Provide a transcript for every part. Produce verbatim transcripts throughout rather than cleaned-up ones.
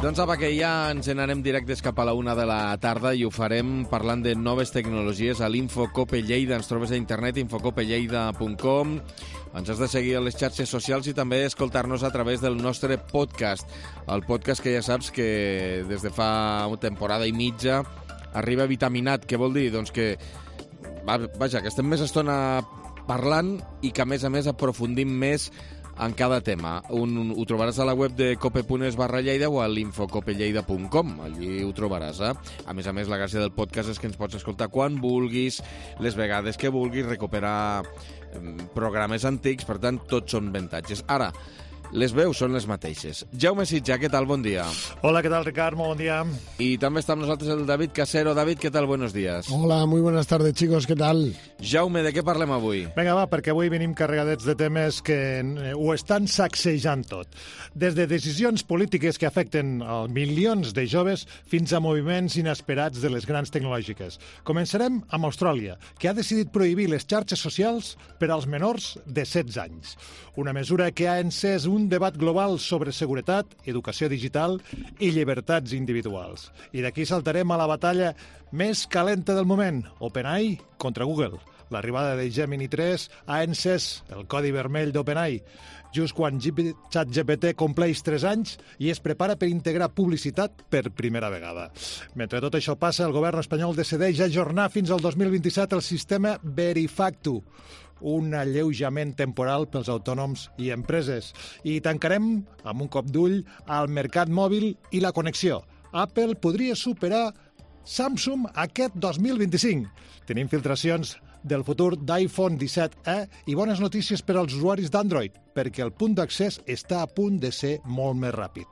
Doncs apa, que ja ens n'anem directes cap a la una de la tarda i ho farem parlant de noves tecnologies a l'Infocope Lleida. Ens trobes a internet, infocope lleida punt com. Ens has de seguir a les xarxes socials i també escoltar-nos a través del nostre podcast. El podcast que ja saps que des de fa una temporada i mitja arriba vitaminat. Què vol dir? Doncs que, vaja, que estem més estona parlant i que, a més a més, aprofundim més en cada tema. Un, ho trobaràs a la web de cope punt es barra Lleida o a l'infocope lleida punt com. Allí ho trobaràs. Eh? A més a més, la gràcia del podcast és que ens pots escoltar quan vulguis, les vegades que vulguis, recuperar programes antics, per tant, tots són avantatges. Ara, les veus són les mateixes. Jaume Sitjà, què tal? Bon dia. Hola, què tal, Ricard? Molt bon dia. Y también está con nosotros el David Casero. David, ¿qué tal? Buenos días. Hola, muy buenas tardes, chicos. ¿Qué tal? Jaume, de què parlem avui? Vinga, va, perquè avui venim carregadets de temes que ho estan sacsejant tot. Des de decisions polítiques que afecten a milions de joves fins a moviments inesperats de les grans tecnològiques. Començarem amb Austràlia, que ha decidit prohibir les xarxes socials per als menors de setze anys. Una mesura que ha encès un debat global sobre seguretat, educació digital i llibertats individuals. I d'aquí saltarem a la batalla més calenta del moment, OpenAI contra Google. L'arribada de Gemini tres ha encès el codi vermell d'OpenAI, just quan ChatGPT compleix tres anys i es prepara per integrar publicitat per primera vegada. Mentre tot això passa, el govern espanyol decideix ajornar fins al dos mil vint-i-set el sistema Verifactu, un alleujament temporal pels autònoms i empreses. I tancarem amb un cop d'ull al mercat mòbil i la connexió. Apple podria superar Samsung aquest dos mil vint-i-cinc. Tenim filtracions del futur d'iPhone disset e i bones notícies per als usuaris d'Android, perquè el punt d'accés està a punt de ser molt més ràpid.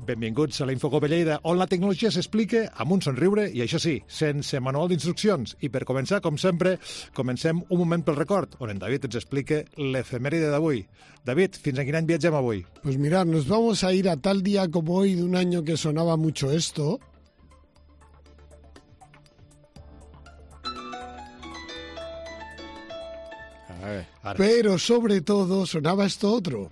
Benvinguts a la Infocope Lleida, on la tecnologia s'explica amb un somriure i, això sí, sense manual d'instruccions. I per començar, com sempre, comencem un moment pel record, on en David ens explica l'efemèride d'avui. David, fins a quin any viatgem avui? Pues mirad, nos vamos a ir a tal día como hoy de un año que sonaba mucho esto. A ver. Pero sobre todo sonaba esto otro.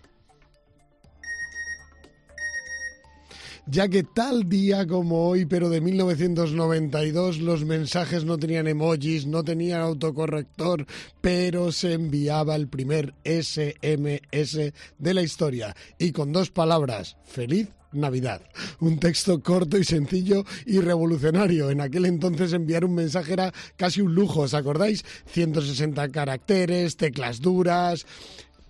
Ya que tal día como hoy, pero de mil novecientos noventa y dos, los mensajes no tenían emojis, no tenían autocorrector, pero se enviaba el primer ese eme ese de la historia. Y con dos palabras, feliz Navidad. Un texto corto y sencillo y revolucionario. En aquel entonces enviar un mensaje era casi un lujo, ¿os acordáis? ciento sesenta caracteres, teclas duras...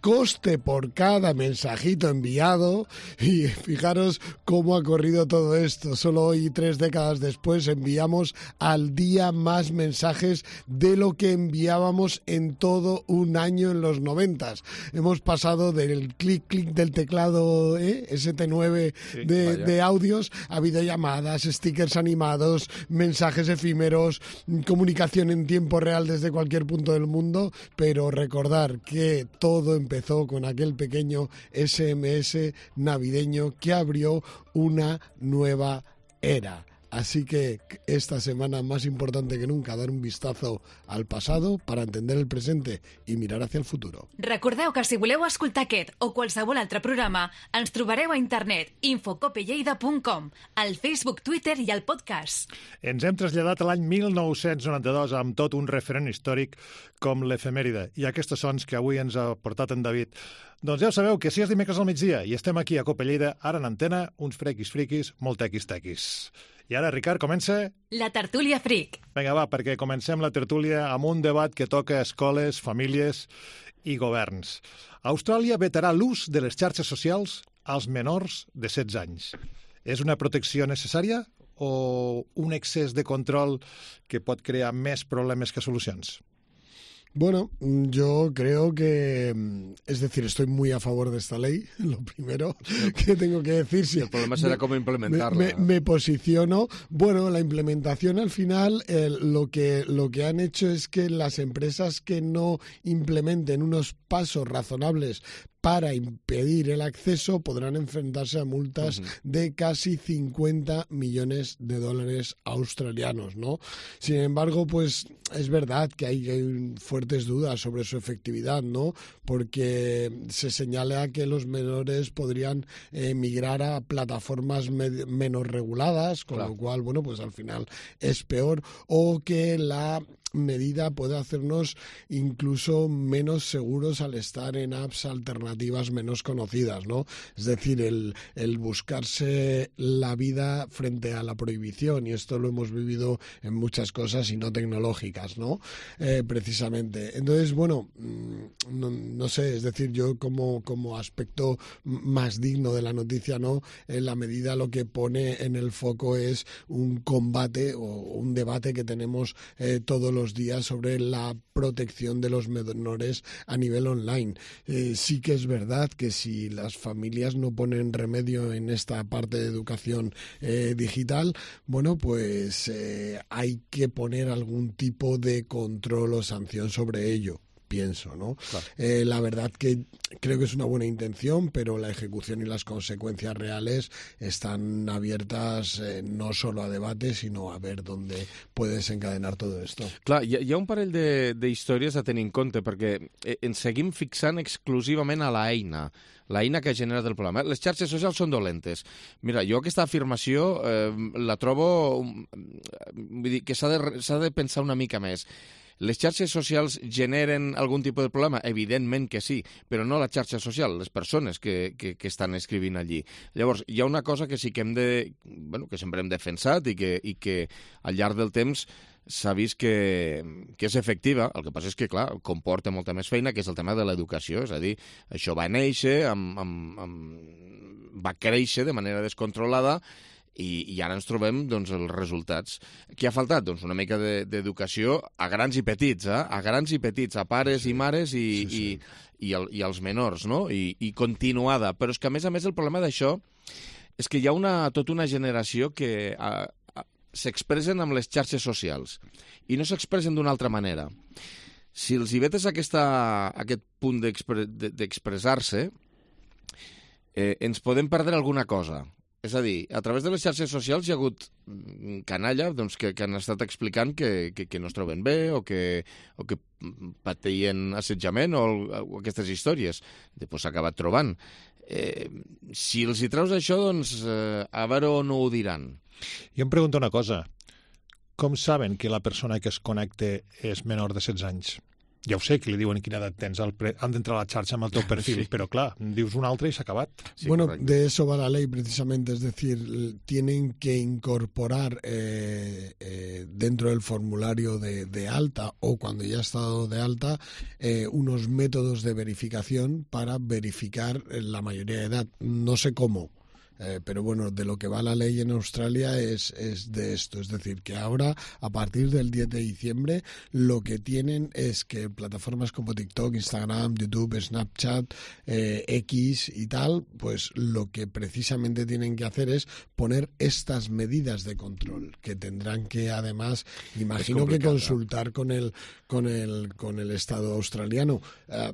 Coste por cada mensajito enviado, y fijaros cómo ha corrido todo esto. Solo hoy, tres décadas después, enviamos al día más mensajes de lo que enviábamos en todo un año en los noventas. Hemos pasado del clic clic del teclado ¿eh? ese te nueve sí, de, de audios a videollamadas, stickers animados, mensajes efímeros, comunicación en tiempo real desde cualquier punto del mundo, pero recordar que todo empezó Empezó con aquel pequeño ese eme ese navideño que abrió una nueva era. Así que esta semana más importante que nunca, dar un vistazo al pasado para entender el presente i mirar hacia el futuro. Recordeu que si voleu escoltar aquest o qualsevol altre programa, ens trobareu a internet infocope lleida punt com, al Facebook, Twitter i al podcast. Ens hem traslladat a l'any mil nou-cents noranta-dos amb tot un referent històric com l'efemèride i aquests sons que avui ens ha portat en David. Doncs ja ho sabeu que si és dimecres al migdia i estem aquí a Cope Lleida, ara en antena, uns frequis friquis, molt tequis tequis. I ara, Ricard, comença... La tertúlia fric. Vinga, va, perquè comencem la tertúlia amb un debat que toca escoles, famílies i governs. Austràlia vetarà l'ús de les xarxes socials als menors de setze anys. És una protecció necessària o un excés de control que pot crear més problemes que solucions? Bueno, yo creo que, es decir, estoy muy a favor de esta ley, lo primero que tengo que decir. Si el problema será me, cómo implementarla. Me, me, me posiciono. Bueno, la implementación al final, eh, lo que lo que han hecho es que las empresas que no implementen unos pasos razonables para impedir el acceso podrán enfrentarse a multas uh-huh. de casi cincuenta millones de dólares australianos, ¿no? Sin embargo, pues es verdad que hay, hay fuertes dudas sobre su efectividad, ¿no? Porque se señala que los menores podrían eh, migrar a plataformas med- menos reguladas, con claro. lo cual, bueno, pues al final es peor, o que la medida puede hacernos incluso menos seguros al estar en apps alternativas menos conocidas, ¿no? Es decir, el, el buscarse la vida frente a la prohibición, y esto lo hemos vivido en muchas cosas y no tecnológicas, ¿no? Eh, precisamente. Entonces, bueno, no, no sé, es decir, yo como, como aspecto más digno de la noticia, ¿no? En la medida lo que pone en el foco es un combate o un debate que tenemos eh, todos los días sobre la protección de los menores a nivel online. Eh, sí que es verdad que si las familias no ponen remedio en esta parte de educación eh, digital, bueno, pues eh, hay que poner algún tipo de control o sanción sobre ello. Pienso, ¿no? Claro. Eh, la verdad que creo que es una buena intención, pero la ejecución y las consecuencias reales están abiertas eh, no solo a debate, sino a ver dónde puede desencadenar todo esto. Clar, hi ha, hi ha un parell d'històries a tenir en compte, perquè ens seguim fixant exclusivament a l'eina, l'eina que ha generat el problema. Les xarxes socials són dolentes. Mira, jo aquesta afirmació eh, la trobo... Vull dir que s'ha de, s'ha de pensar una mica més. Les xarxes socials generen algun tipus de problema? Evidentment que sí, però no la xarxa social, les persones que, que, que estan escrivint allí. Llavors, hi ha una cosa que sí que hem de... Bueno, que sempre hem defensat i que, i que al llarg del temps s'ha vist que, que és efectiva. El que passa és que, clar, comporta molta més feina, que és el tema de l'educació. És a dir, això va néixer, amb, amb, amb... va créixer de manera descontrolada, I, i ara ens trobem doncs, els resultats. Què ha faltat? Doncs una mica d'educació a grans i petits, eh? a grans i petits, a pares sí. i mares i, sí, sí. i, i, el, i els menors, no? I, i continuada. Però és que, a més a més, el problema d'això és que hi ha una, tota una generació que a, a, s'expressen amb les xarxes socials i no s'expressen d'una altra manera. Si els hi vetes aquesta, aquest punt d'expressar-se, eh, ens podem perdre alguna cosa. És a dir, a través de les xarxes socials hi ha hagut canalla doncs, que, que han estat explicant que, que, que no es troben bé o que, o que pateixen assetjament o, o aquestes històries. Després s'ha acabat trobant. Eh, si els hi treus això, doncs eh, a veure on ho diran. Jo em pregunto una cosa. Com saben que la persona que es connecta és menor de setze anys? Ja ho sé, que li diuen quina edat tens, pre... han d'entrar a la xarxa amb el teu perfil, sí. Pero claro, dius un altre y se ha acabat. Sí, bueno, correcto. De eso va la ley precisamente, es decir, tienen que incorporar eh, eh, dentro del formulario de, de alta o cuando ya ha estado de alta eh, unos métodos de verificación para verificar la mayoría de edad. No sé cómo. Eh, pero bueno, de lo que va la ley en Australia es, es de esto, es decir, que ahora, a partir del diez de diciembre, lo que tienen es que plataformas como TikTok, Instagram, YouTube, Snapchat, eh, X y tal, pues lo que precisamente tienen que hacer es poner estas medidas de control, que tendrán que además, imagino que consultar con el, con el, con el Estado australiano. Uh,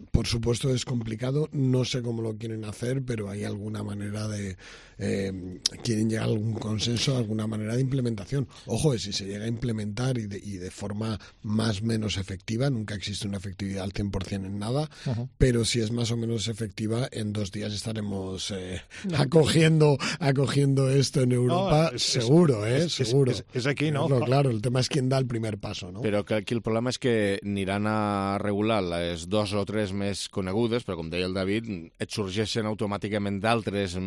por supuesto es complicado, no sé cómo lo quieren hacer, pero hay alguna manera de Eh, quieren llegar a algún consenso, alguna manera de implementación. Ojo, si se llega a implementar y de, y de forma más o menos efectiva, nunca existe una efectividad al cien por ciento en nada, uh-huh. pero si es más o menos efectiva, en dos días estaremos eh, no. acogiendo acogiendo esto en Europa, no, es, seguro, es, ¿eh? Es, seguro. Es, es, es aquí, ¿no? Claro, claro, el tema es quién da el primer paso, ¿no? Però que aquí el problema és que aniran a regular les dos o tres més conegudes, però com deia el David, et sorgeixen automàticament d'altres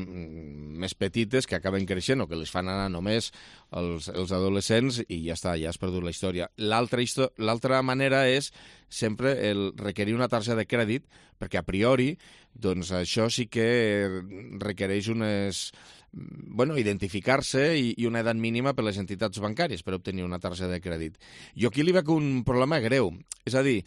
més petites que acaben creixent o que les fan anar només els, els adolescents i ja està, ja has perdut la història. L'altra l'altra manera és sempre el requerir una targeta de crèdit, perquè a priori doncs això sí que requereix unes... bueno, identificar-se i, i una edat mínima per les entitats bancàries per obtenir una targeta de crèdit. Jo aquí li veig un problema greu. És a dir,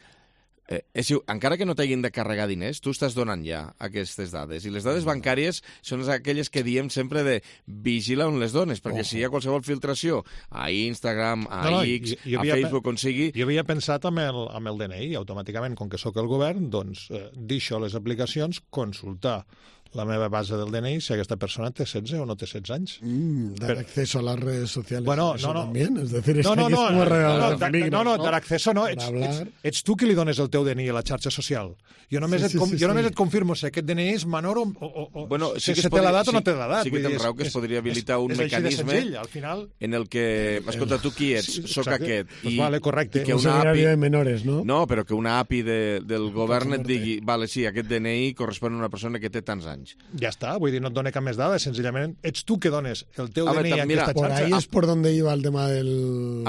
Eh, és, encara que no t'hagin de carregar diners, tu estàs donant ja aquestes dades. I les dades bancàries són aquelles que diem sempre de vigila on les dones, perquè oh. si hi ha qualsevol filtració a Instagram, a no, no, X, jo, jo a Facebook, on sigui... Jo havia pensat amb el, amb el D N I, automàticament, com que sóc el govern, doncs eh, deixo les aplicacions, consultar la meva base del D N I si aquesta persona té setze o no té setze anys. Mm, dar Pero... acceso a las redes sociales. Bueno, eso no, no. También, es decir, es no, no, que no, es no, no, no, peligro, no, no, no, dar acceso no. Ets, ets, ets tu qui li dones el teu D N I a la xarxa social. Jo només, sí, sí, et, com, sí, jo només sí. et confirmo si aquest D N I és menor o, o, o bueno, sí si que té podria, l'edat sí, o no té l'edat. Sí que tens raó que es podria habilitar és, un és mecanisme senzill, al final... en el que, escolta, tu qui ets? Soc aquest. Pues i, vale, correcte. I que una A P I... de menores, no? No, però que una A P I de, del govern et digui, vale, sí, aquest D N I correspon a una persona que té tants anys. Ja està, vull dir, no et dona cap més dades, senzillament ets tu que dones el teu a D N I a aquesta por xarxa. Ahí es por donde iba el tema del...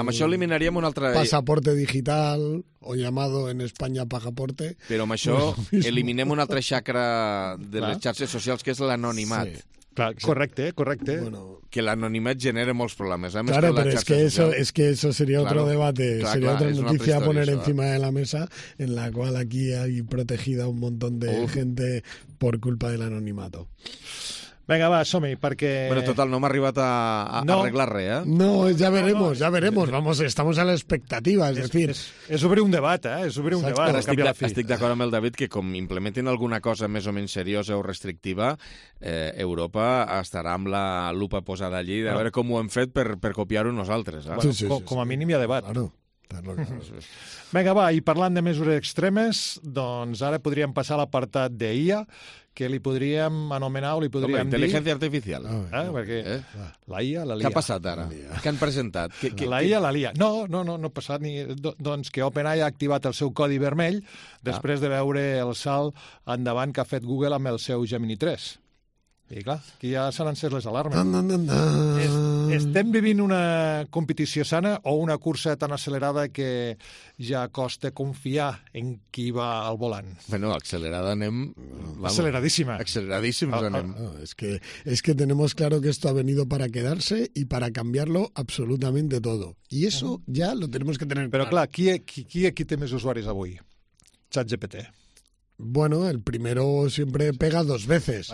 Amb això eliminaríem un altre... Pasaporte digital, o llamado en España pasaporte. Però amb això eliminem una altra xacra de Clar. les xarxes socials, que és l'anonimat. Sí. Clar, correcte, correcte. Bueno, que l'anonimat genera molts problemes. ¿eh? Claro, pero es que, eso, es que eso sería claro, otro debate, claro, sería claro, otra noticia a poner historia, encima ¿eh? de la mesa, en la cual aquí hay protegida un montón de Uf. gente por culpa del anonimato. Vinga, va, som-hi, perquè... Bueno, total, no m'ha arribat a, a no. arreglar res, ¿eh? No, ya veremos, ya veremos. Vamos, estamos a la expectativa, es, es decir... És, és obrir un debat, eh? És obrir un Saps? debat. Estic, de, estic d'acord amb el David que com implementin alguna cosa més o menys seriosa o restrictiva, eh, Europa estarà amb la lupa posada allí de veure com ho hem fet per, per copiar-ho nosaltres. Eh? Bueno, sí, sí, com, sí, com a mínim hi ha debat. Claro. Claro, claro. Vinga, va, i parlant de mesures extremes, doncs ara podríem passar a l'apartat de I A, que li podríem anomenar o li podríem Home, intel·ligència dir... artificial. Ah, eh? No. Perquè eh? la I A, la L I A. Què ha passat ara? Què han presentat? Que, que, la I A, la L I A. No, no, no, no ha passat ni... Doncs que OpenAI ha activat el seu codi vermell després ah. de veure el salt endavant que ha fet Google amb el seu Gemini tres. I clar, aquí ja s'han encès les alarmes. Dan, dan, dan, dan. Es, estem vivint una competició sana o una cursa tan accelerada que ja costa confiar en qui va al volant? Bueno, accelerada anem... Vamos, Aceleradísima. Aceleradísimos ah, anem. Ah, ah, es, que, es que tenemos claro que esto ha venido para quedarse y para cambiarlo absolutamente todo. Y eso uh-huh. ya lo tenemos que tener Però claro. clar, qui, qui, qui aquí té més usuaris avui? ChatGPT. Bueno, el primero siempre pega dos veces.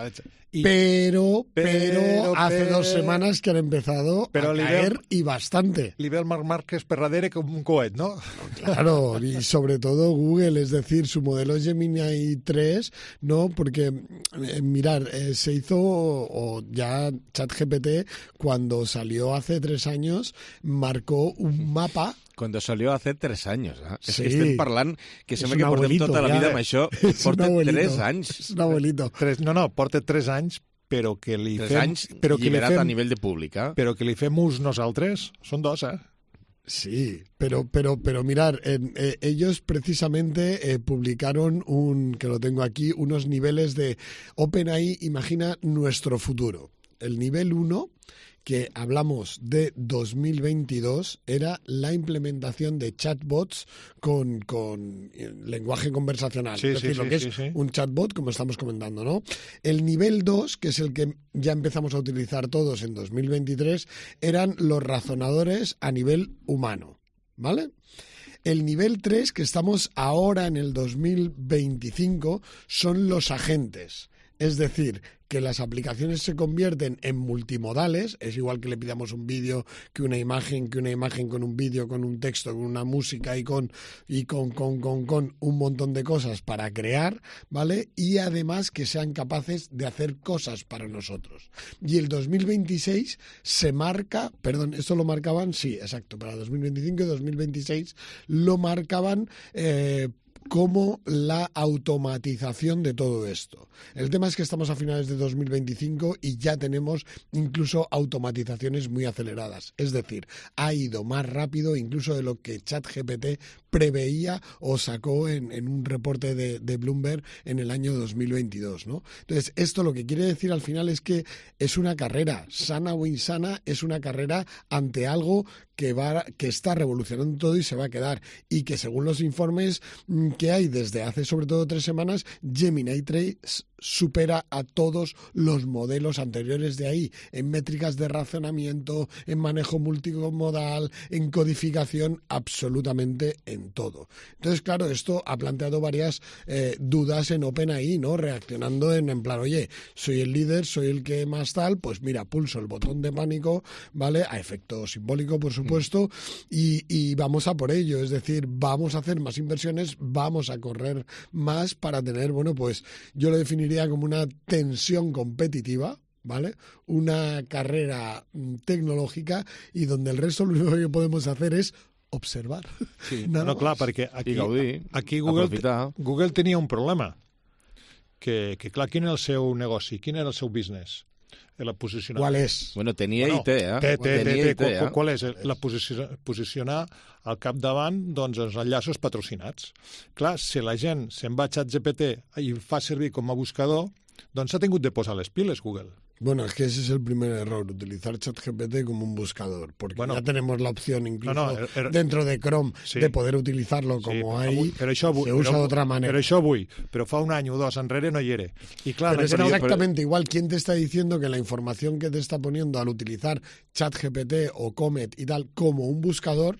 Y, pero, pero, pero, hace pero, dos semanas que han empezado pero a caer veo, y bastante. Li ve el Marc Márquez per darrere com un coet, ¿no? Claro, y sobre todo Google, es decir, su modelo Gemini tres, ¿no? Porque, eh, mirar, eh, se hizo, o ya ChatGPT, cuando salió hace tres años, marcó un mapa. Cuando salió hace tres años. Eh? Sí. És que estem parlant que sembla que portem tota la vida ja, amb això. Porta tres anys. És un abuelito. Tres, no, no, porta tres anys, però que li tres fem... anys però que lliberat li fem, a nivell de públic. Eh? Però que li fem ús nosaltres, són dos, eh? Sí, pero, pero, pero mirar, eh, eh, ellos precisamente eh, publicaron un, que lo tengo aquí, unos niveles de OpenAI, imagina nuestro futuro. El nivel uno, que hablamos de dos mil veintidós, era la implementación de chatbots con, con lenguaje conversacional. Sí, es decir, sí, lo sí, que sí, es sí. un chatbot, como estamos comentando, ¿no? El nivel dos, que es el que ya empezamos a utilizar todos en dos mil veintitrés, eran los razonadores a nivel humano, ¿vale? El nivel tres, que estamos ahora en el dos mil veinticinco, son los agentes. Es decir, que las aplicaciones se convierten en multimodales, es igual que le pidamos un vídeo, que una imagen, que una imagen con un vídeo, con un texto, con una música y con y con, con, con, con un montón de cosas para crear, ¿vale? Y además que sean capaces de hacer cosas para nosotros. Y el dos mil veintiséis se marca, perdón, esto lo marcaban, sí, exacto, para dos mil veinticinco y dos mil veintiséis lo marcaban eh, como la automatización de todo esto. El tema es que estamos a finales de dos mil veinticinco y ya tenemos incluso automatizaciones muy aceleradas. Es decir, ha ido más rápido incluso de lo que ChatGPT preveía o sacó en, en un reporte de, de Bloomberg en el año dos mil veintidós, ¿no? Entonces, esto lo que quiere decir al final es que es una carrera, sana o insana, es una carrera ante algo que va, que está revolucionando todo y se va a quedar. Y que según los informes que hay desde hace sobre todo tres semanas, Gemini tres supera a todos los modelos anteriores de ahí, en métricas de razonamiento, en manejo multimodal, en codificación, absolutamente en todo. Entonces, claro, esto ha planteado varias eh, dudas en OpenAI, ¿no? Reaccionando en, en plan, oye, soy el líder, soy el que más tal, pues mira, pulso el botón de pánico, ¿vale? A efecto simbólico, por supuesto, mm. y, y vamos a por ello, es decir, vamos a hacer más inversiones, vamos a correr más para tener, bueno, pues yo lo definiría como una tensión competitiva, ¿vale? Una carrera tecnológica y donde el resto lo único que podemos hacer es observar. Sí, no, clar, perquè aquí, gaudir, aquí Google, Google tenia un problema, que, que clar, quin era el seu negoci, quin era el seu business? La posicionar... Qual és? Bueno, tenia bueno, I T, eh? Té, té, tenia té, I T, eh? Qual és? La posicionar, posicionar al capdavant doncs, els enllaços patrocinats. Clar, si la gent se'n va a ChatGPT i fa servir com a buscador, doncs s'ha tingut de posar les piles, Google. Bueno, es que ese es el primer error, utilizar ChatGPT como un buscador, porque bueno, ya tenemos la opción incluso no, no, er, er, dentro de Chrome sí, de poder utilizarlo como sí, hay, però això avui, se usa però, de otra manera. Però això avui, però fa un any o dos enrere no hi era. Y claro, pero es pero, exactamente pero... igual, ¿quién te está diciendo que la información que te está poniendo al utilizar ChatGPT o Comet y tal como un buscador,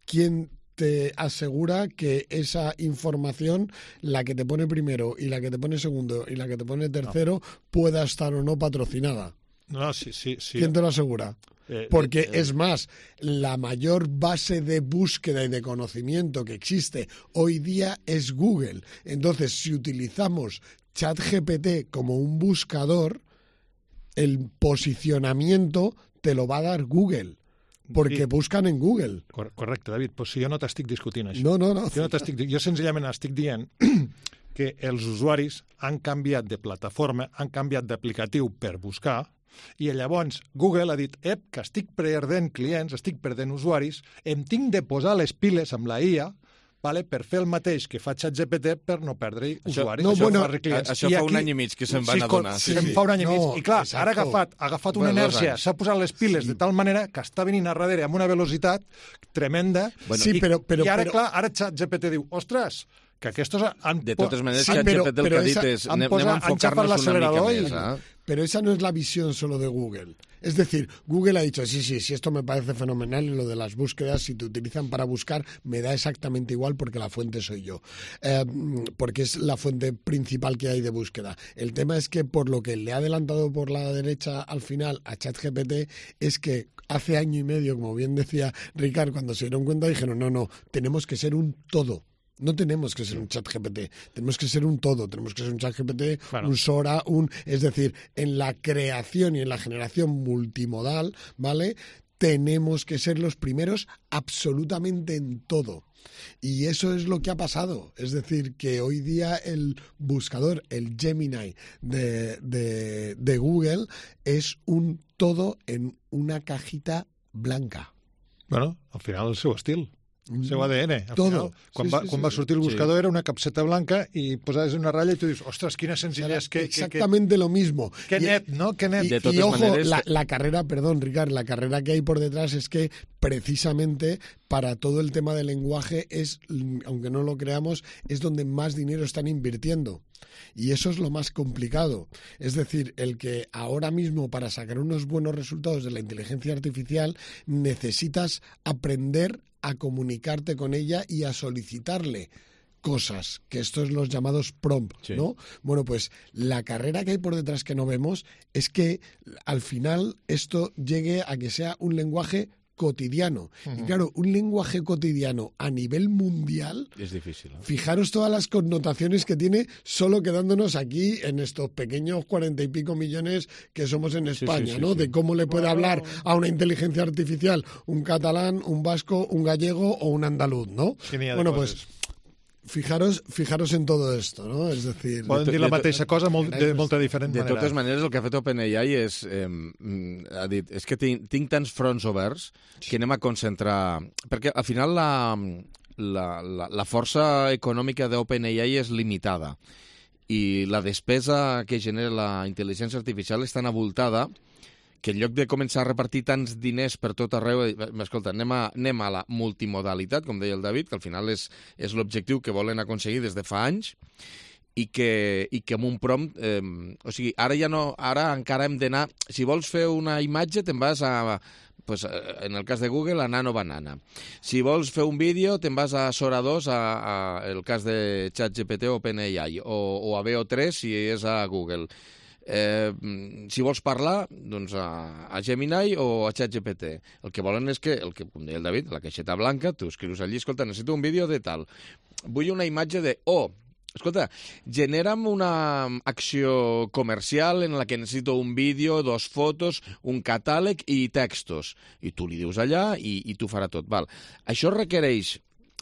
quién te asegura que esa información, la que te pone primero y la que te pone segundo y la que te pone tercero, no. pueda estar o no patrocinada? No, sí, sí, sí. ¿Quién te lo asegura? Eh, Porque eh, es más, la mayor base de búsqueda y de conocimiento que existe hoy día es Google. Entonces, si utilizamos ChatGPT como un buscador, el posicionamiento te lo va a dar Google. Perquè sí. busquen en Google. Correcte, David, però si jo no t'estic discutint això. No, no, no. Jo, no t'estic, jo senzillament estic dient que els usuaris han canviat de plataforma, han canviat d'aplicatiu per buscar, i llavors Google ha dit, ep, que estic perdent clients, estic perdent usuaris, em tinc de posar les piles amb la I A, vale, per fer el mateix que fa ChatGPT per no perdre això, usuaris. No, això bueno, fa, clients. Això I fa aquí, un any i mig que se'n van sí, adonar. Sí, sí. Fa un any i mig. No, I clar, exacto. ara ha agafat, ha agafat una bueno, inèrcia, s'ha posat les piles sí. de tal manera que està venint a darrere amb una velocitat tremenda. Bueno, sí, i, però, però, I ara, però... clar, ara ChatGPT diu, ostres, que aquestos han... De totes maneres, sí, ChatGPT el que ha dit és anem, anem a enfocar-nos una mica més. Eh? Pero esa no es la visión solo de Google. Es decir, Google ha dicho, sí, sí, sí, esto me parece fenomenal y lo de las búsquedas, si te utilizan para buscar, me da exactamente igual porque la fuente soy yo. Eh, porque es la fuente principal que hay de búsqueda. El tema es que por lo que le ha adelantado por la derecha al final a ChatGPT es que hace año y medio, como bien decía Ricard, cuando se dieron cuenta dijeron, no, no, tenemos que ser un todo. No tenemos que ser un ChatGPT, tenemos que ser un todo, tenemos que ser un ChatGPT, claro. un Sora, un... Es decir, en la creación y en la generación multimodal, ¿vale? Tenemos que ser los primeros absolutamente en todo. Y eso es lo que ha pasado. Es decir, que hoy día el buscador, el Gemini de, de, de Google, es un todo en una cajita blanca. Bueno, al final el seu estil. El seu A D N. Al Todo. Final, quan, sí, va, sí, quan sí, va sortir el buscador sí. era una capseta blanca i posaves una ratlla i tu dius, ostres, quina senzillez. Que, Exactamente que, que, lo mismo. Qué net, ¿no? Qué net. Y, de totes y ojo, maneres, la, la carrera, perdón, Ricard, la carrera que hay por detrás es que precisamente para todo el tema del lenguaje es, aunque no lo creamos, es donde más dinero están invirtiendo. Y eso es lo más complicado. Es decir, el que ahora mismo para sacar unos buenos resultados de la inteligencia artificial necesitas aprender a comunicarte con ella y a solicitarle cosas, que estos son los llamados prompts, sí. ¿no? Bueno, pues la carrera que hay por detrás que no vemos es que al final esto llegue a que sea un lenguaje cotidiano. Uh-huh. Y claro, un lenguaje cotidiano a nivel mundial... Es difícil. ¿eh? Fijaros todas las connotaciones que tiene solo quedándonos aquí en estos pequeños cuarenta y pico millones que somos en España, sí, sí, sí, ¿no? Sí. De cómo le puede wow. hablar a una inteligencia artificial un catalán, un vasco, un gallego o un andaluz, ¿no? Genial, bueno, pues... Fijaros, fijaros en todo esto, ¿no? Es decir... Poden dir la mateixa cosa molt, de molta diferent manera. De totes maneres, el que ha fet OpenAI és... Eh, ha dit, és que tinc, tinc tants fronts oberts que anem a concentrar... Perquè al final la, la, la, la força econòmica d'OpenAI és limitada i la despesa que genera la intel·ligència artificial és tan avoltada que en lloc de començar a repartir tants diners per tot arreu, escolta, anem a, anem a la multimodalitat, com deia el David, que al final és, és l'objectiu que volen aconseguir des de fa anys, i que, i que amb un prompt... Eh, o sigui, ara ja no... Ara encara hem d'anar... Si vols fer una imatge, te'n vas a... Pues, en el cas de Google, a Nano Banana. Si vols fer un vídeo, te'n vas a Sora dos, a, a el cas de ChatGPT o OpenAI, o, o a B O tres si és a Google. Eh, si vols parlar, doncs a, a Gemini o a ChatGPT. El que volen és que, el que, com deia el David, la caixeta blanca, tu escrius allí, escolta, necessito un vídeo de tal. Vull una imatge de... Oh, escolta, genera'm una acció comercial en la que necessito un vídeo, dos fotos, un catàleg i textos. I tu li dius allà i, i tu farà tot. Val. Això requereix...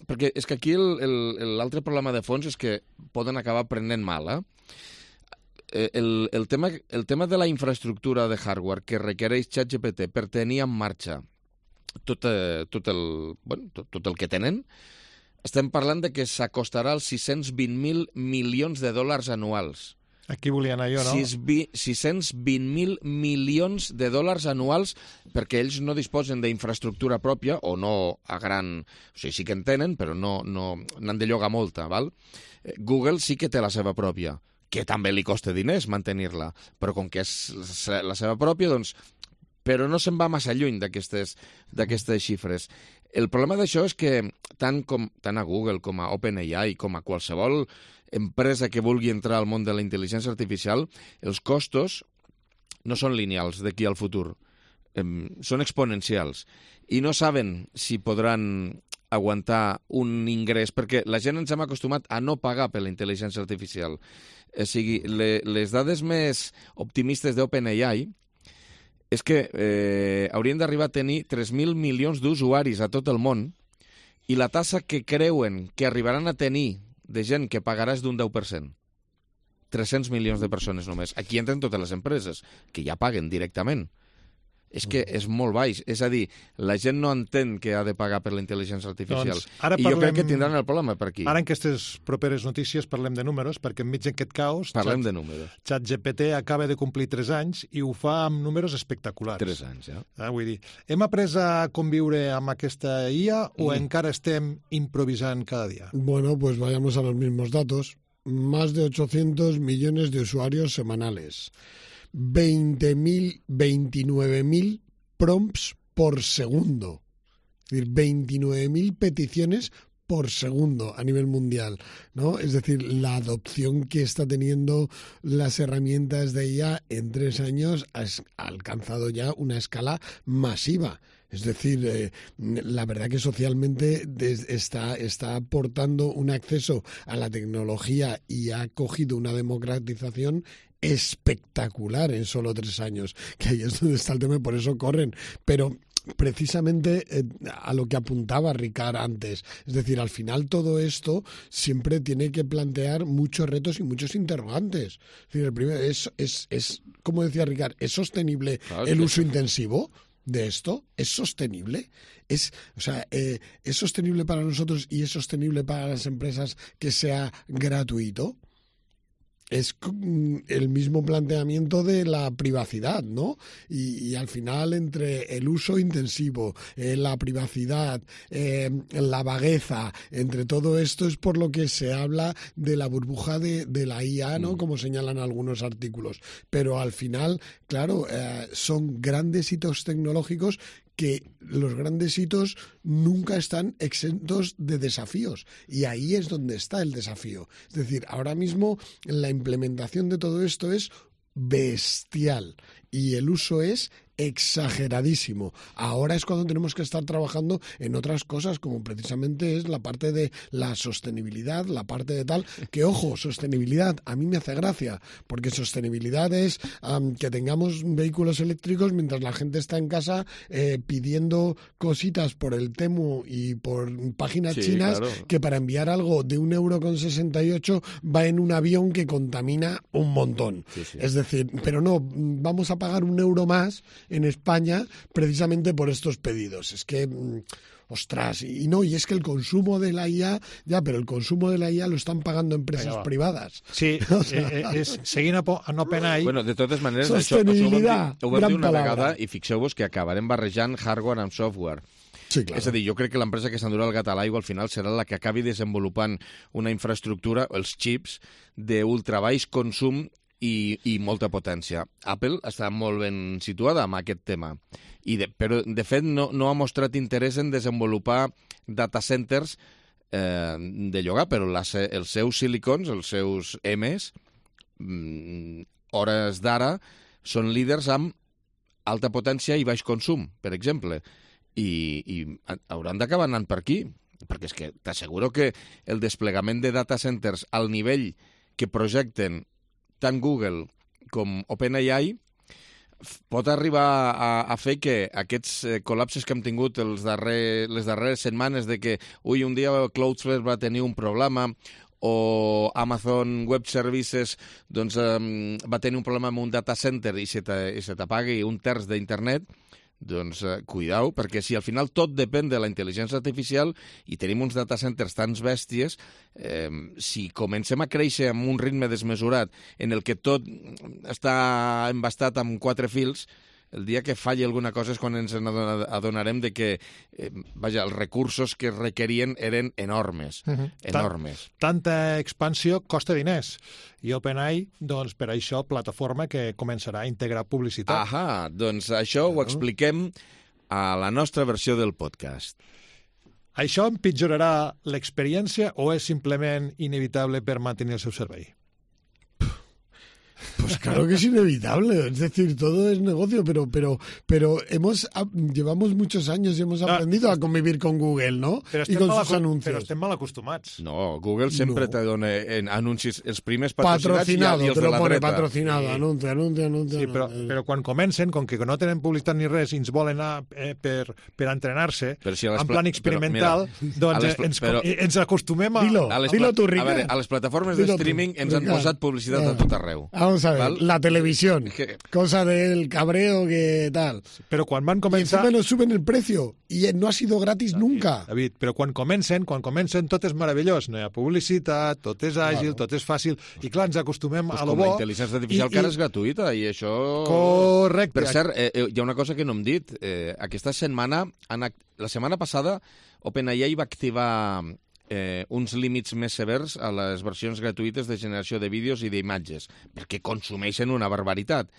Perquè és que aquí l'altre problema de fons és que poden acabar prenent mal, eh? El, el, tema, el tema de la infraestructura de hardware que requereix ChatGPT per tenir en marxa tot, eh, tot, el, bueno, tot, tot el que tenen, estem parlant de que s'acostarà als sis-cents vint mil milions de dòlars anuals. Aquí volia anar jo, no? sis-cents vint mil milions de dòlars anuals perquè ells no disposen d'infraestructura pròpia o no a gran... O sigui, sí que en tenen, però no, no n'han de llogar molta, val? Google sí que té la seva pròpia, que també li costa diners mantenir-la, però com que és la seva pròpia, doncs... Però no se'n va massa lluny d'aquestes d'aquestes xifres. El problema d'això és que tant, com, tant a Google com a OpenAI, com a qualsevol empresa que vulgui entrar al món de la intel·ligència artificial, els costos no són lineals d'aquí al futur, eh, són exponencials. I no saben si podran aguantar un ingrés, perquè la gent ens hem acostumat a no pagar per la intel·ligència artificial. O sigui, le, les dades més optimistes d'OpenAI és que eh, haurien d'arribar a tenir tres mil milions d'usuaris a tot el món i la tassa que creuen que arribaran a tenir de gent que pagarà és d'un deu per cent. tres-cents milions de persones només. Aquí entren totes les empreses, que ja paguen directament. És que és molt baix. És a dir, la gent no entén que ha de pagar per la intel·ligència artificial. Doncs ara I parlem, jo crec que tindran el problema per aquí. Ara en aquestes properes notícies parlem de números, perquè enmig d'aquest caos... Parlem Chat, de números. ChatGPT acaba de complir tres anys i ho fa amb números espectaculars. Tres anys, ja. Ah, vull dir, hem après a conviure amb aquesta I A o Mm. encara estem improvisant cada dia? Bueno, pues vayamos a los mismos datos. Más de ochocientos millones de usuarios semanales. veinte mil, veintinueve mil prompts por segundo. Es decir, veintinueve mil peticiones por segundo a nivel mundial, ¿no? Es decir, la adopción que está teniendo las herramientas de I A en tres años ha alcanzado ya una escala masiva. Es decir, eh, la verdad que socialmente está, está aportando un acceso a la tecnología y ha cogido una democratización espectacular en solo tres años, que ahí es donde está el tema y por eso corren. Pero precisamente eh, a lo que apuntaba Ricard antes, es decir, al final todo esto siempre tiene que plantear muchos retos y muchos interrogantes. Es decir, el primero es, es, es como decía Ricard, ¿es sostenible claro, el uso intensivo de esto? ¿Es sostenible? Es, o sea, eh, ¿es sostenible para nosotros y es sostenible para las empresas que sea gratuito? Es el mismo planteamiento de la privacidad, ¿no? Y, y al final, entre el uso intensivo, eh, la privacidad, eh, la vagueza, entre todo esto es por lo que se habla de la burbuja de, de la I A, ¿no? Como señalan algunos artículos. Pero al final, claro, eh, son grandes hitos tecnológicos que los grandes hitos nunca están exentos de desafíos. Y ahí es donde está el desafío. Es decir, ahora mismo la implementación de todo esto es bestial y el uso es exageradísimo. Ahora es cuando tenemos que estar trabajando en otras cosas, como precisamente es la parte de la sostenibilidad, la parte de tal, que ojo, sostenibilidad, a mí me hace gracia, porque sostenibilidad es um, que tengamos vehículos eléctricos mientras la gente está en casa eh, pidiendo cositas por el Temu y por páginas sí, chinas, claro, que para enviar algo de un euro con sesenta y ocho va en un avión que contamina un montón. Sí, sí. Es decir, pero no, vamos a pagar un euro más en España precisamente por estos pedidos. Es que, ostras, y no, y es que el consumo de la I A, ya, pero el consumo de la I A lo están pagando empresas Però, privadas. Sí, o sea, eh, és, seguint en OpenAI... Bueno, de totes maneres, sostenibilitat, això, això ho vam dir, ho vam dir una vegada i fixeu-vos que acabarem barrejant hardware amb software. Sí, claro. És a dir, jo crec que l'empresa que s'endurà el gat a l'aigua al final serà la que acabi desenvolupant una infraestructura, els xips, d'ultra baix consum i, i molta potència. Apple està molt ben situada amb aquest tema, I de, però de fet no, no ha mostrat interès en desenvolupar data centers eh, de llogar, però les, els seus silicons, els seus M's, mm, hores d'ara, són líders amb alta potència i baix consum, per exemple. I, i hauran d'acabar anant per aquí, perquè és que t'asseguro que el desplegament de data centers al nivell que projecten tant Google com OpenAI pot arribar a, a fer que aquests eh, col·lapses que hem tingut els darrer, les darreres setmanes de que ui, un dia Cloudflare va tenir un problema o Amazon Web Services doncs, eh, va tenir un problema amb un data center i se t'apagui un terç d'internet, doncs eh, cuidau, perquè si al final tot depèn de la intel·ligència artificial i tenim uns data centers tan bèsties, eh, si comencem a créixer amb un ritme desmesurat en el que tot està embastat amb quatre fils, el dia que falli alguna cosa és quan ens adonarem de que eh, vaja, els recursos que requerien eren enormes, uh-huh. enormes. Tant, tanta expansió costa diners. I OpenAI, doncs, per això, plataforma que començarà a integrar publicitat. Ahà, doncs això ho expliquem a la nostra versió del podcast. Això empitjorarà l'experiència o és simplement inevitable per mantenir el seu servei? Pues claro que es inevitable, es decir, todo es negocio, pero pero pero hemos llevamos muchos años y hemos aprendido no, a convivir con Google, ¿no? Y con sus anuncios. Però estem mal acostumats. No, Google sempre no. te dona en anuncis els primers patrocinats patrocinado, i els te lo de la pone dreta. patrocinado, sí. anuncio, anuncio, anuncio. Sí, però, però quan comencen, com que no tenen publicitat ni res i ens volen anar eh, per, per entrenar-se, si en plan experimental, però, mira, doncs les, ens, però, ens acostumem a... Dilo, a les, dilo tu, Rica. A veure, a les plataformes de streaming ens han posat publicitat a tot arreu. Vamos a ver, ¿val? La televisión, que... cosa del cabreo que tal. Però quan van començar... Y encima nos suben el precio y no ha sido gratis David, nunca. David, però quan comencen, quan comencen tot és meravellós, no hi ha publicitat, tot és àgil, claro. tot és fàcil, i clar, ens acostumem pues a lo bo. Com la intel·ligència artificial, i, que ara és gratuïta, i això... Correcte. Per cert, eh, hi ha una cosa que no hem dit. Eh, aquesta setmana, la setmana passada, OpenAI va activar eh, uns límits més severs a les versions gratuïtes de generació de vídeos i d'imatges, perquè consumeixen una barbaritat.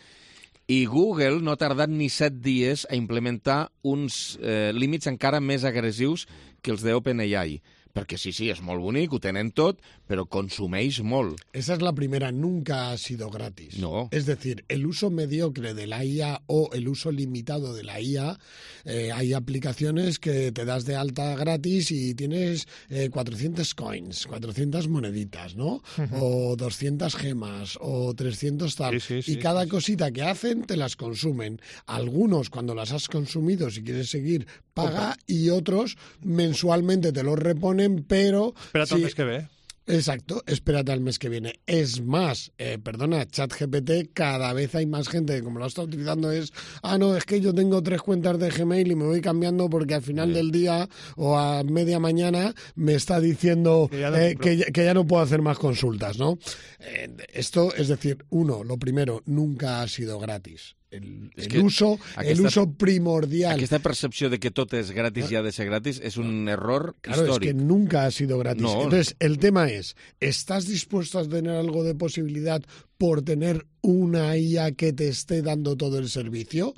I Google no ha tardat ni set dies a implementar uns eh, límits encara més agressius que els d'OpenAI. Perquè sí, sí, es molt bonic, ho tenen tot, pero consumeix molt. Esa es la primera, nunca ha sido gratis. No. Es decir, el uso mediocre de la I A o el uso limitado de la I A, eh, hay aplicaciones que te das de alta gratis y tienes eh, cuatrocientos coins, cuatrocientas moneditas, ¿no? Uh-huh. O doscientas gemas, o trescientos tal. Sí, sí, sí, y cada sí, cosita sí. que hacen te las consumen. Algunos, cuando las has consumido, si quieres seguir, paga, Opa. Y otros mensualmente te los reponen, pero... Espérate al mes que ve. Exacto, espérate al mes que viene. Es más, eh, perdona, ChatGPT, cada vez hay más gente que como lo está utilizando es, ah, no, es que yo tengo tres cuentas de Gmail y me voy cambiando porque al final sí. del día o a media mañana me está diciendo que ya no, eh, que, que ya no puedo hacer más consultas, ¿no? Eh, esto, es decir, uno, lo primero, nunca ha sido gratis. El, el, uso, aquesta, el uso primordial. Aquesta percepció de que tot és gratis i ha de ser gratis és un error claro, histórico. Es que nunca ha sido gratis. No. Entonces, el tema es, ¿estás dispuesto a tener algo de posibilidad por tener una I A que te esté dando todo el servicio?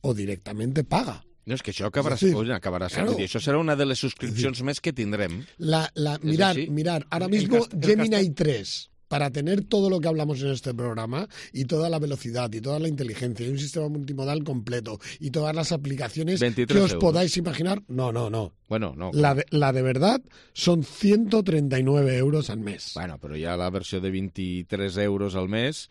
¿O directamente paga? No, és que això acabarà, sí, acabarà sent. Claro. Això serà una de les subscripcions sí. més que tindrem. La, la, mirar, mirar, ara mismo Gemini tres... para tener todo lo que hablamos en este programa y toda la velocidad y toda la inteligencia y un sistema multimodal completo y todas las aplicaciones que os euros. Podáis imaginar, no, no, no. Bueno, no. La de, la de verdad son ciento treinta y nueve euros al mes. Bueno, pero ya la versión de veintitrés euros al mes...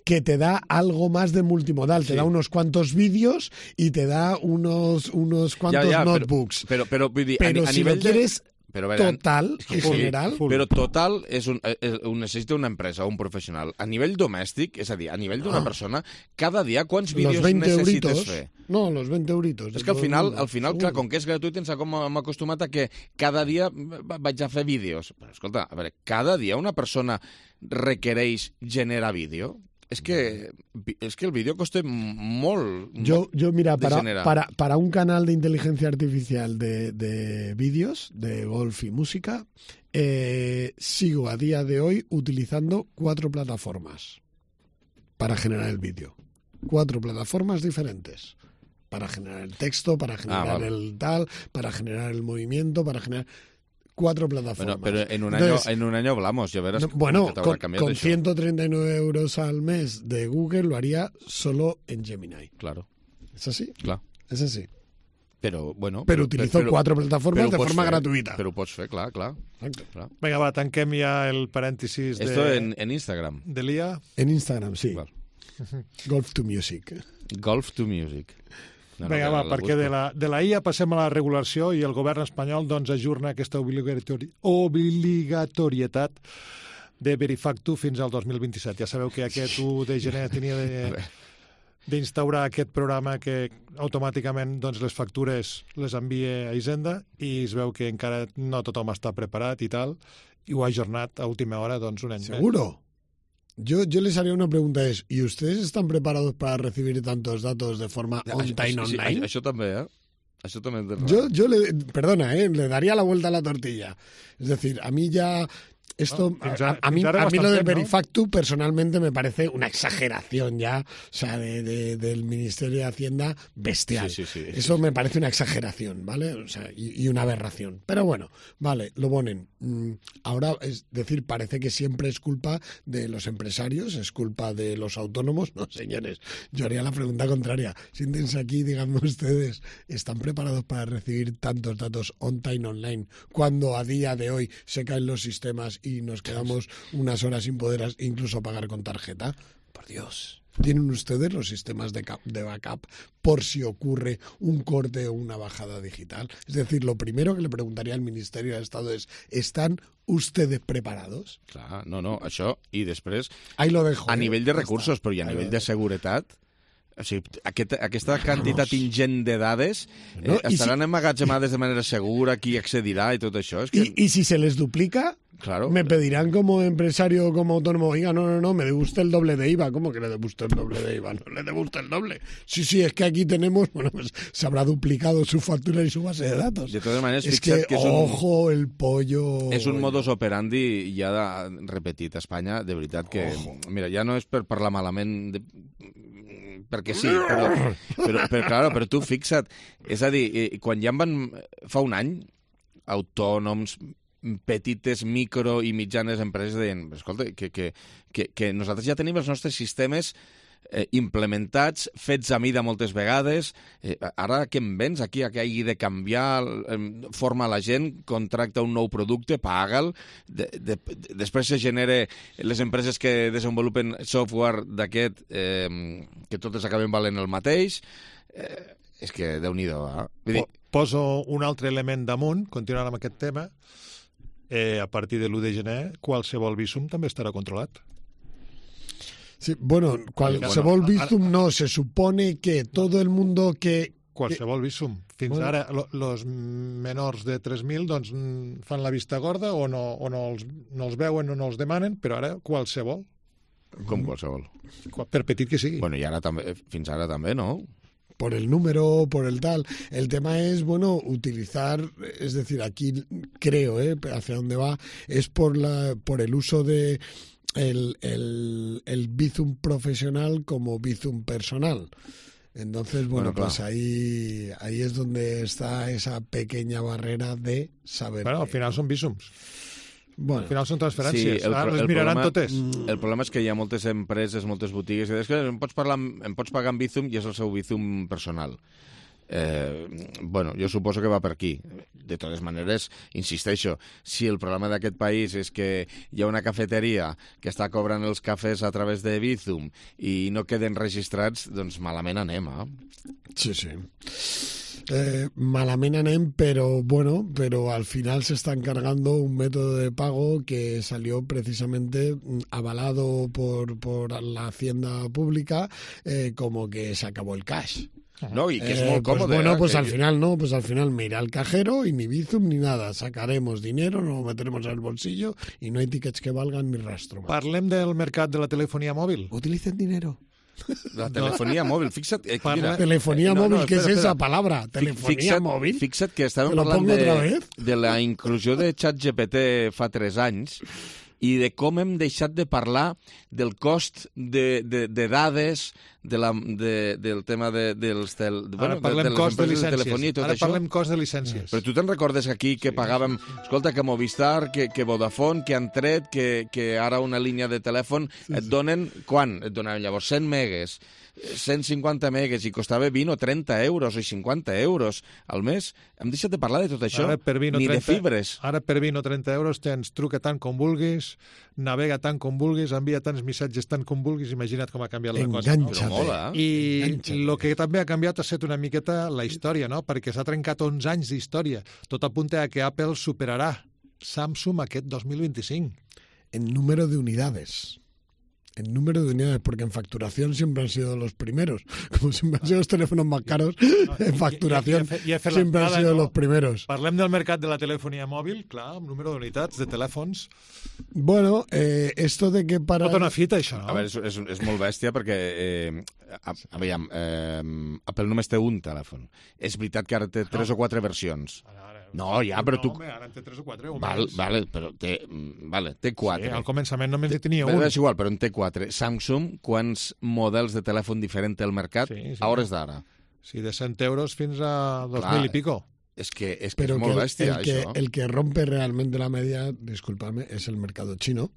que te da algo más de multimodal, sí. te da unos cuantos vídeos y te da unos, unos cuantos ya, ya, notebooks. Pero, pero, pero, pero a, a si nivel lo quieres... De... Però, veure, total, en sí, general. Però total és un, és, ho necessita una empresa, un professional. A nivell domèstic, és a dir, a nivell d'una ah. persona, cada dia quants vídeos necessites euritos. fer? No, los veinte euritos. És que al final, al final clar, com que és gratuït, ens hem acostumat a que cada dia vaig a fer vídeos. Però escolta, a veure, cada dia una persona requereix generar vídeo. és que, és que el vídeo costa molt, Yo, molt yo mira, de para, generar. para, para un canal de inteligencia artificial de, de vídeos, de golf y música, eh, sigo a día de hoy utilizando cuatro plataformas para generar el vídeo. Cuatro plataformas diferentes. Para generar el texto, para generar Ah, vale. el tal, para generar el movimiento, para generar... Cuatro plataformas. Bueno, pero en un, Entonces, año, en un año hablamos, ya verás. no, bueno, que t'haurà con, canviat con això. ciento treinta y nueve euros al mes de Google lo haría solo en Gemini. Claro, ¿Es así? clar. Es así. Però, bueno... Pero utilizo però- cuatro plataformas però de ho pots forma fer, gratuita. Però ho pots fer, clar, clar. Exacto. clar. Vinga, va, tanquem ja el parèntesis de, Esto en, en Instagram. de l'I A. En Instagram, sí. Val. Golf to Music. Golf to music. No, no, Vinga, que va, la perquè busco. de la, de la I A passem a la regulació i el govern espanyol doncs, ajorna aquesta obligatori obligatorietat de Verifactu fins al dos mil vint-i-set. Ja sabeu que aquest u de gener tenia de, d'instaurar aquest programa que automàticament doncs, les factures les envia a Hisenda i es veu que encara no tothom està preparat i tal, i ho ha ajornat a última hora doncs, un any més. ¿Seguro? Yo, yo les haría una pregunta, es, ¿y ustedes están preparados para recibir tantos datos de forma Ja, on-time, això- sí, online? Això també, eh? Això també és de Yo, yo le, perdona, ¿eh? Le daría la vuelta a la tortilla. Es decir, a mí ya esto, Bueno, fins a, ara- a mí, fins ara a mí lo bastant del temps, ¿no? Verifactu personalmente me parece una exageración ya, o sea, de, de- del Ministerio de Hacienda bestial. Sí, sí, sí, Eso sí, me parece una exageración, ¿vale? O sea, y, y una aberración. Pero bueno, vale, lo ponen. Mm, Ahora, es decir, parece que siempre es culpa de los empresarios, es culpa de los autónomos. No, señores, yo haría la pregunta contraria. Siéntense aquí y díganme ustedes, ¿están preparados para recibir tantos datos on-time online cuando a día de hoy se caen los sistemas y nos quedamos unas horas sin poder as- incluso pagar con tarjeta? Por Dios. ¿Tienen ustedes los sistemas de, cap- de backup por si ocurre un corte o una bajada digital? Es decir, lo primero que le preguntaría al Ministerio de Estado es, ¿están ustedes preparados? Clar, no, no, això, i després, Ahí lo dejo. a ¿eh? nivell de Ya recursos, está. però i a Ahí lo nivell de dejo. seguretat, o sigui, aquest, aquesta quantitat ingent de dades eh, No, i estaran si- emmagatzemades de manera segura, qui accedirà i tot això. És que, Y, y si se les duplica, claro, me pedirán como empresario o como autónomo, oiga, no, no, no, me debe usted el doble de I V A. ¿Cómo que le debe usted el doble de I V A? No le debe usted el doble. Sí, sí, es que aquí tenemos, bueno, pues se habrá duplicado su factura y su base de datos. de totes maneres, Es que, fixa't que és un, ojo, el pollo... és un modus operandi ja de, repetit a Espanya, de veritat que... Mira, ja no és per parlar malament de, perquè sí, però, però, però, claro, però tu fixa't, és a dir, eh, quan ja en van, fa un any, autònoms, petites, micro i mitjanes empreses deien, escolta, que, que, que, que nosaltres ja tenim els nostres sistemes eh, implementats, fets a mida moltes vegades, eh, ara què em vens aquí, que hagi de canviar, eh, forma la gent, contracta un nou producte, paga'l, de, de, de, després se genera les empreses que desenvolupen software d'aquest, eh, que totes acaben valent el mateix, eh, és que déu-n'hi-do, eh? Vull dir, Po- Poso un altre element damunt, continuant amb aquest tema. Eh, a partir de l'u de gener, qualsevol visum també estarà controlat. Sí, bueno, qualsevol Bueno, Bizum no, se supone que todo el mundo que... Qualsevol visum. Fins Bueno. ara, lo- los menors de tres mil doncs, mm, fan la vista gorda o, no, o no, els, no els veuen o no els demanen, però ara qualsevol, com qualsevol. qua- per petit que sigui. Bueno, i ara també, fins ara també, no? por el número, por el tal. El tema es, bueno, utilizar, es decir, aquí creo, ¿eh? Hacia dónde va, es por la por el uso de el, el, el Bizum profesional como Bizum personal. Entonces, bueno, Bueno, pues ahí, ahí es donde está esa pequeña barrera de saber. Bueno, al que- final són visums. bueno, Al final són transferències. Sí, el ah, pro- les el miraran problema- totes. El problema és que hi ha moltes empreses, moltes botigues, que diuen que em pots, parlar, amb- em pots pagar amb Bizum i és el seu Bizum personal. Eh, bueno, jo suposo que va per aquí. De totes maneres, insisteixo, si el problema d'aquest país és que hi ha una cafeteria que està cobrant els cafès a través de Bizum i no queden registrats, doncs malament anem, eh? sí, sí. Eh, malament anem, pero bueno, pero al final se está encargando un método de pago que salió precisamente mm, avalado por, por la Hacienda Pública, eh, como que se acabó el cash. No, y que es Eh, muy cómodo. Pues bueno, ¿eh? pues Que- al final no, pues al final mira al cajero y ni Bizum ni nada. Sacaremos dinero, nos lo meteremos en el bolsillo y no hay tickets que valgan ni rastro. más. Parlem del mercat de la telefonia mòbil. Utilicen dinero. La telefonía móvil, fixa't... Eh, Parla- mira, Telefonía eh, no, móvil, no, ¿qué espera, es esa espera. palabra? Fi- Telefonía fixa't, móvil. Fixa't que estàvem ¿Te lo parlant pongo otra de, vez? de la inclusió de ChatGPT fa tres anys i de com hem deixat de parlar del cost de, de, de dades, de la, de, del tema de, dels tel, Ara bueno, parlem de, de les cost de empreses de llicències. telefonia i tot Ara això. parlem cost de llicències. Però tu te'n recordes aquí que pagàvem, escolta, que Movistar, que, que Vodafone, que han tret, que, que ara una línia de telèfon et donen, quan? Et donaven llavors cent megues, cent cinquanta megues i costava vint o trenta euros o cinquanta euros al mes. Hem deixat de parlar de tot això, Ara per vint o ni de trenta fibres. Ara per vint o trenta euros tens truca tant com vulguis, navega tant com vulguis, envia tants missatges tant com vulguis, imagina't com ha canviat la cosa. Enganxa't. Però mola. I Enganxa't. el que també ha canviat ha estat una miqueta la història, no? Perquè s'ha trencat onze anys d'història. Tot apunta a que Apple superarà Samsung aquest dos mil vint-i-cinc. En número de unidades. En número de unidades, porque en facturación siempre han sido los primeros. Como siempre han sido los teléfonos más caros, en facturación i- i- i- i he fet siempre han l'entrada, sido no? los primeros. Parlem del mercat de la telefonia mòbil, clar, amb número d'unitats, de telèfons. Bueno, eh, esto de que para... Tota una fita, això, no? A veure, és, és, és molt bèstia perquè, eh, a, a veure, eh, Apple només té un telèfon. És veritat que ara té tres o quatre versions. Ara, ara, No, ja, però tu... No, home, ara en té tres o quatre. O Val, més. vale, però té, mm, vale, té quatre. Sí, al començament només en tenia Bé, un. és igual, però en té quatre. Samsung, quants models de telèfon diferent té al mercat Sí, sí. a hores d'ara? Sí, de cent euros fins a dos Clar, mil i pico. És que és, que Pero és que molt el, bèstia, el que, això. el que rompe realmente la media, discúlpame, es el mercado chino.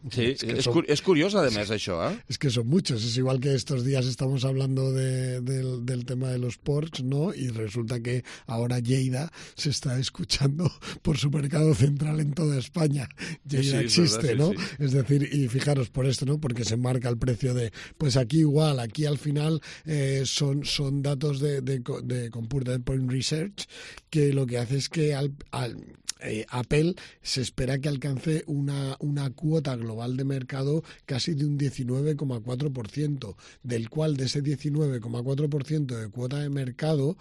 Sí, es, que és, son, cur és curiós, a més, això, eh? es que son muchos. Es igual que estos días estamos hablando de, del, del tema de los ports, ¿no? Y resulta que ahora Lleida se está escuchando por su mercado central en toda España. Lleida Sí, sí, es existe, verdad, ¿no? sí, sí. Es decir, y fijaros por esto, ¿no? Porque se marca el precio de, pues aquí igual, aquí al final eh, son, son datos de, de, co- de Computer Point Research que lo que hace es que al, al eh, Apple se espera que alcance una, una cuota global de mercado casi de un diecinueve coma cuatro por ciento, del cual de ese diecinueve coma cuatro por ciento de cuota de mercado,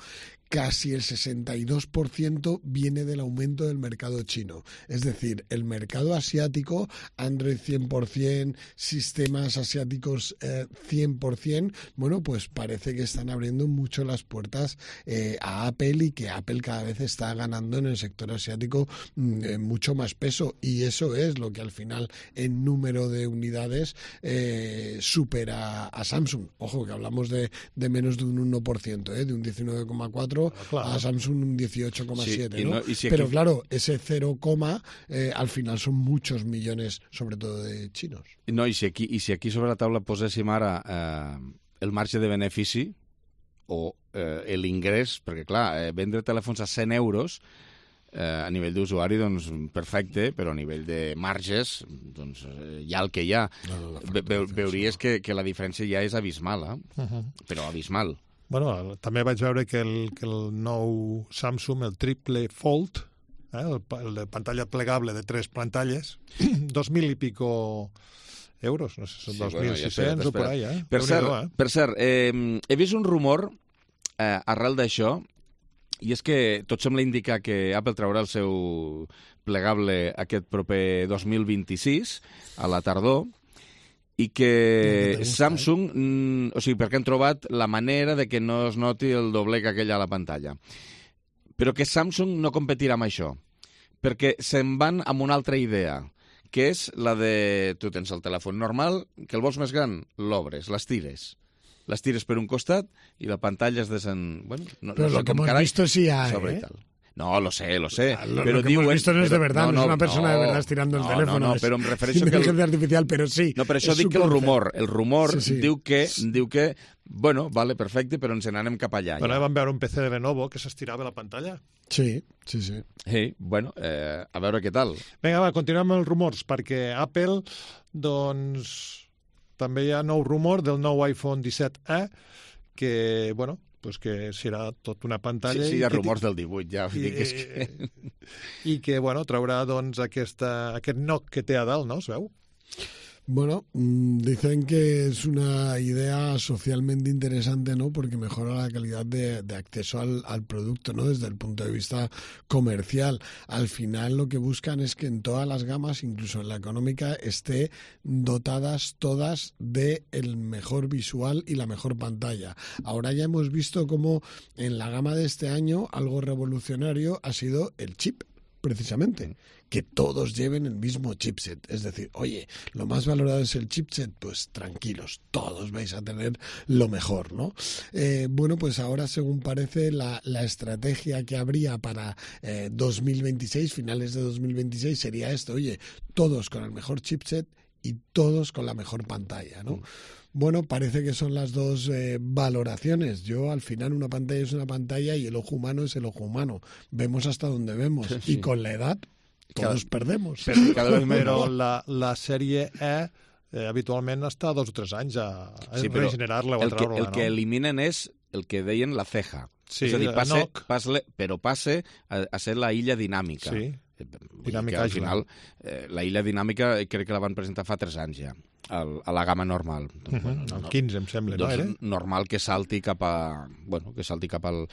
casi el sesenta y dos por ciento viene del aumento del mercado chino. Es decir, el mercado asiático, Android cien por ciento, sistemas asiáticos eh, cien por ciento, bueno, pues parece que están abriendo mucho las puertas eh, a Apple y que Apple cada vez está ganando en el sector asiático mm, eh, mucho más peso. Y eso es lo que al final en número de unidades eh, supera a Samsung. Ojo, que hablamos de, de menos de un uno por ciento, ¿eh? De un diecinueve coma cuatro Claro. a Samsung un dieciocho coma siete, Sí, y ¿no? no- y si Pero aquí- claro, ese cero, eh, al final son muchos millones, sobre todo de chinos. No, i si aquí, i si aquí sobre la taula poséssim ara eh, el marge de benefici o eh, l'ingrés, perquè clar, eh, vendre telèfons a cent euros eh, a nivell d'usuari, doncs perfecte, però a nivell de marges, doncs eh, hi ha el que hi ha. Ve, ve, veuries que, que la diferència ja és abismal, eh? Uh -huh. Però abismal. Bueno, també vaig veure que el, que el nou Samsung, el triple Fold, eh, el, pa- el de pantalla plegable de tres pantalles, dos mil i pico euros, no sé, són Sí, dos bueno, mil ja sis-cents espera't, o por espera't. ahí, eh? Per cert, Déu-n'hi-do, eh? per cert eh, he vist un rumor eh, arrel d'això, i és que tot sembla indicar que Apple traurà el seu plegable aquest proper dos mil vint-i-sis, a la tardor, i que gusta, Samsung, mm, o sigui, perquè han trobat la manera de que no es noti el dobleg aquell a la pantalla. Però que Samsung no competirà amb això, perquè se'n van amb una altra idea, que és la de... Tu tens el telèfon normal, que el vols més gran, l'obres, l'estires. L'estires per un costat i la pantalla es desen... Bueno, no, Pero no sé lo que com hemos carai, visto sí hay, sobre ¿eh? i tal. No, lo sé, lo sé. Lo, pero lo que diuen, hemos visto no es de però- verdad, no, es una persona de verdad estirando el no, teléfono. No, no, es però em refereixo que... El, inteligencia artificial, pero sí. no, per això es dic su que el concepto. rumor, el rumor Sí, sí. diu que, diu que, bueno, vale, perfecte, però ens n'anem cap allà. Bueno, Ja. vam veure un P C de Lenovo que s'estirava la pantalla. Sí, sí, sí. Sí, bueno, eh, a veure què tal. Vinga, va, continuem amb els rumors, perquè Apple, doncs, també hi ha nou rumor del nou iPhone disset E, que, bueno, pues que serà tot una Sí, pantalla... sí, i hi ha que rumors del divuit, ja. I, Dic, és que... i que, bueno, traurà, doncs, aquesta, aquest knock que té a dalt, no? Es veu? Bueno, dicen que es una idea socialmente interesante, ¿no? Porque mejora la calidad de, de acceso al, al producto, ¿no? Desde el punto de vista comercial. Al final lo que buscan es que en todas las gamas, incluso en la económica, esté dotadas todas de el mejor visual y la mejor pantalla. Ahora ya hemos visto cómo en la gama de este año algo revolucionario ha sido el chip. Precisamente, que todos lleven el mismo chipset. Es decir, oye, lo más valorado es el chipset, pues tranquilos, todos vais a tener lo mejor, ¿no? Eh, bueno, pues ahora, según parece, la, la estrategia que habría para eh, dos mil veintiséis, finales de dos mil veintiséis, sería esto, oye, todos con el mejor chipset y todos con la mejor pantalla, ¿no? Mm. Bueno, parece que son las dos eh, valoraciones. Yo, al final, una pantalla es una pantalla y el ojo humano es el ojo humano. Vemos hasta donde vemos. Sí. Y con la edad, todos cada, perdemos. Però, cada vez però la, la sèrie E eh, habitualment està dos o tres anys a, a sí, regenerar-la o a treure-la. El, el que eliminen és el que deien la ceja. Sí, és a dir, passe, passe, però passe a, a ser la illa dinàmica. Sí. Dinàmica, al final, eh, la illa dinàmica crec que la van presentar fa tres anys ja, al, a la gamma normal. Uh -huh. Bueno, no, quinze, em sembla, doncs, no era? Normal que salti cap a, bueno, que salti cap al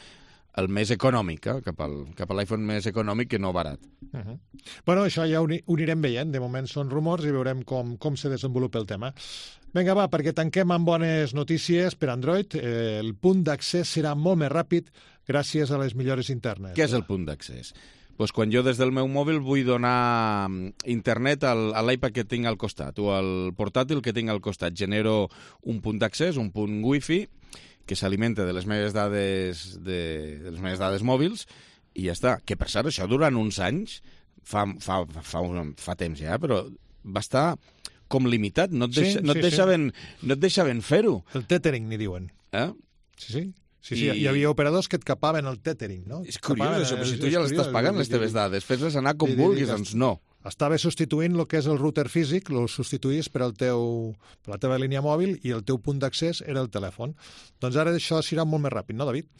el més econòmic, eh? cap, al, cap a l'iPhone més econòmic que no barat. Uh -huh. Bueno, això ja ho, ho anirem veient. De moment són rumors i veurem com, com se desenvolupa el tema. Vinga, va, perquè tanquem amb bones notícies per Android. Eh, el punt d'accés serà molt més ràpid gràcies a les millores internes. Què és el punt d'accés? Pues quan jo des del meu mòbil vull donar internet al, a l'iPad que tinc al costat o al portàtil que tinc al costat, genero un punt d'accés, un punt wifi, que s'alimenta de les meves dades de, de les meves dades mòbils i ja està. Que per cert, això durant uns anys, fa, fa, fa, un, fa temps ja, però va estar com limitat, no et, deixa, sí, no et, sí, deixaven, sí. no et deixaven fer-ho. El tethering, n'hi diuen. Eh? Sí, sí. Sí, sí, I... hi havia operadors que et capaven el tethering, no? És curiós, capaven, això, però si tu ja l'estàs pagant, les teves dades, fes-les anar com vulguis, doncs no. Estava substituint el que és el router físic, el substituïs per, el teu, per la teva línia mòbil i el teu punt d'accés era el telèfon. Doncs ara això serà molt més ràpid, no, David?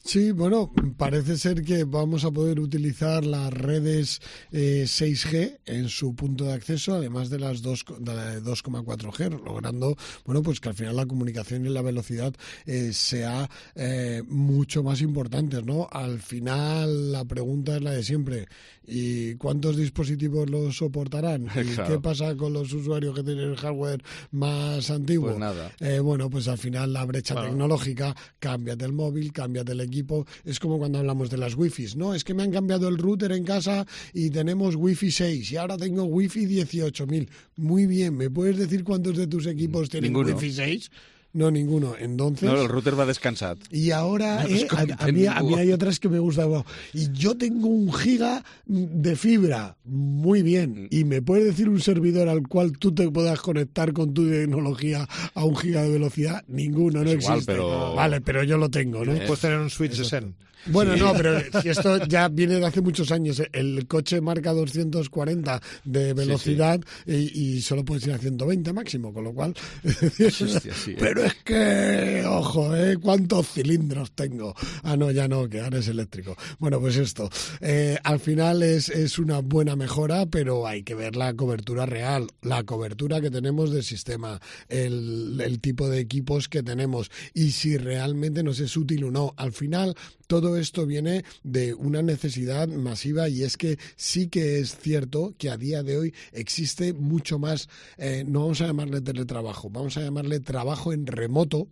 Sí, bueno, parece ser que vamos a poder utilizar las redes eh, seis G en su punto de acceso, además de las dos, de la dos coma cuatro G, logrando, bueno, pues que al final la comunicación y la velocidad eh, sea eh, mucho más importantes, ¿no? Al final la pregunta es la de siempre. ¿Y cuántos dispositivos los soportarán? ¿Y claro. qué pasa con los usuarios que tienen el hardware más antiguo? Pues nada. Eh, bueno, pues al final la brecha claro. tecnológica, cámbiate el móvil, cámbiate el equipo. Es como cuando hablamos de las wifis, ¿no? Es que me han cambiado el router en casa y tenemos wifi seis y ahora tengo wifi dieciocho mil. Muy bien, ¿me puedes decir cuántos de tus equipos tienen Ninguno. wifi seis? No, ninguno. Entonces... No, el router va descansat. Y ahora no eh, a, a, mí, a mí hay otras que me gustan. Y yo tengo un giga de fibra. Muy bien. ¿Y me puedes decir un servidor al cual tú te puedas conectar con tu tecnología a un giga de velocidad? Ninguno, no es igual, existe. Pero... Vale, pero yo lo tengo, ¿no? Puedes tener un switch de Zen. Bueno, sí. no, pero si esto ya viene de hace muchos años. El coche marca doscientos cuarenta de velocidad sí, sí. Y, y solo puedes ir a ciento veinte máximo, con lo cual... Hostia, sí, pero es que, ojo, ¿eh? ¿Cuántos cilindros tengo? Ah, no, ya no, que ahora es eléctrico. Bueno, pues esto. Eh, al final es, es una buena mejora, pero hay que ver la cobertura real, la cobertura que tenemos del sistema, el, el tipo de equipos que tenemos y si realmente nos es útil o no. Al final... Todo esto viene de una necesidad masiva y es que sí que es cierto que a día de hoy existe mucho más, eh, no vamos a llamarle teletrabajo, vamos a llamarle trabajo en remoto,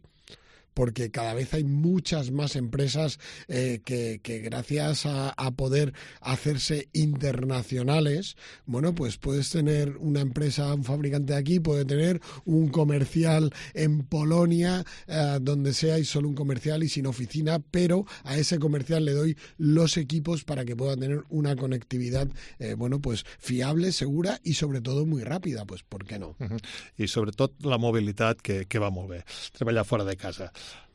porque cada vez hay muchas más empresas eh, que, que gracias a, a poder hacerse internacionales, bueno, pues puedes tener una empresa, un fabricante de aquí, puede tener un comercial en Polonia, eh, donde sea y solo un comercial y sin oficina, pero a ese comercial le doy los equipos para que pueda tener una conectividad, eh, bueno, pues fiable, segura y sobre todo muy rápida, pues ¿por qué no? Uh-huh. I sobretot la mobilitat, que, que va molt bé, treballar fora de casa.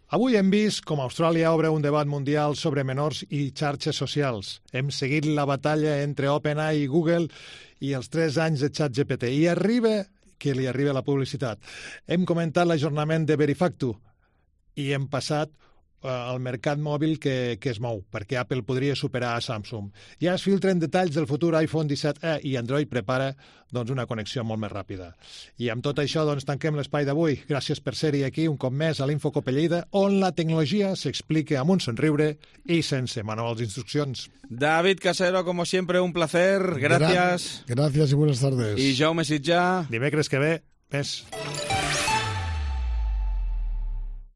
Avui hem vist com Austràlia obre un debat mundial sobre menors i xarxes socials. Hem seguit la batalla entre OpenAI i Google i els tres anys de ChatGPT. I arriba que li arriba la publicitat. Hem comentat l'ajornament de Verifactu i hem passat el mercat mòbil que, que es mou, perquè Apple podria superar a Samsung. Ja es filtren detalls del futur iPhone disset e i Android prepara doncs, una connexió molt més ràpida. I amb tot això doncs, tanquem l'espai d'avui. Gràcies per ser-hi aquí un cop més a l'Infocope Lleida, on la tecnologia s'explica amb un somriure i sense manuals d'instruccions. David Casero, como siempre, un placer. Gracias. Gra- gracias y buenas tardes. I Jaume Sitjà. Dimecres que ve, més.